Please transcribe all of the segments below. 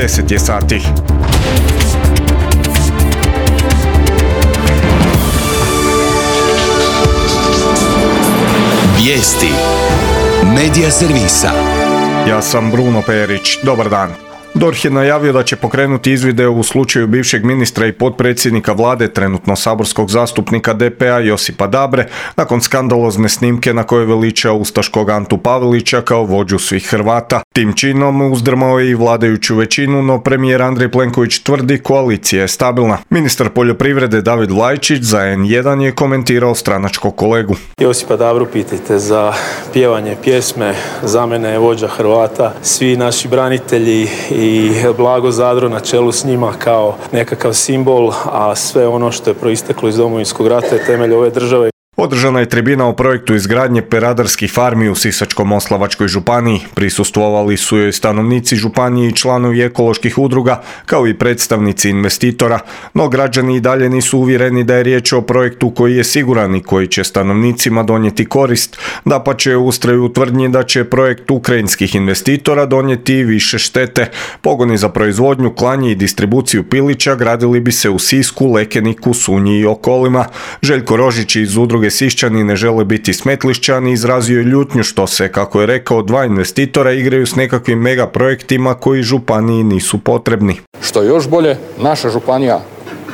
10 je sati. Vijesti Medija servisa. Ja sam Bruno Perić. Dobar dan. DORH je najavio da će pokrenuti izvide u slučaju bivšeg ministra i potpredsjednika vlade, trenutno saborskog zastupnika DP-a Josipa Dabre, nakon skandalozne snimke na kojoj veliča ustaškog Antu Pavelića kao vođu svih Hrvata. Tim činom uzdrmao je i vladajuću većinu, no premijer Andrej Plenković tvrdi koalicija je stabilna. Ministar poljoprivrede David Vlaičić za N1 je komentirao stranačkog kolegu. Josipa Dabru pitajte za pjevanje pjesme, za mene je vođa Hrvata, svi naši branitelji i Blago Zadro na čelu s njima kao nekakav simbol, a sve ono što je proisteklo iz Domovinskog rata je temelj ove države. Održana je tribina o projektu izgradnje peradarskih farmi u Sisačko-moslavačkoj županiji. Prisustvovali su joj stanovnici županije i članovi ekoloških udruga, kao i predstavnici investitora, no građani i dalje nisu uvjereni da je riječ o projektu koji je siguran i koji će stanovnicima donijeti korist. Dapače, ustraju u tvrdnji da će projekt ukrajinskih investitora donijeti više štete. Pogoni za proizvodnju, klanje i distribuciju pilića gradili bi se u Sisku, Lekeniku, Sunji i okolima. Željko Rožić iz udruge Sišćani ne žele biti Smetlišćani izrazio je ljutnju što se, kako je rekao, dva investitora igraju s nekakvim mega projektima koji županiji nisu potrebni. Što je još bolje, naša županija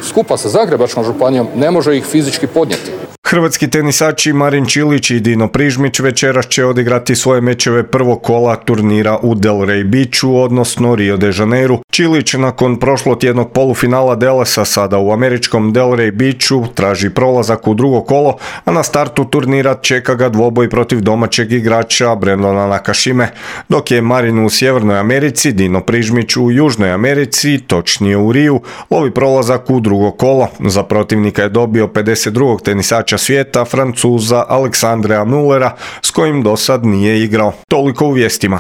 skupa sa Zagrebačkom županijom ne može ih fizički podnijeti. Hrvatski tenisači Marin Čilić i Dino Prižmić večeras će odigrati svoje mečeve prvog kola turnira u Delray Beachu, odnosno Rio de Janeiru. Čilić nakon prošlotjednog polufinala Delesa sada u američkom Delray Beachu traži prolazak u drugo kolo, a na startu turnira čeka ga dvoboj protiv domaćeg igrača Brendona Nakashime. Dok je Marin u Sjevernoj Americi, Dino Prižmić u Južnoj Americi, točnije u Riju, lovi prolazak u drugo kolo. Za protivnika je dobio 52. tenisača svijeta, Francuza Aleksandrea Mullera, s kojim do sad nije igrao. Toliko u vijestima.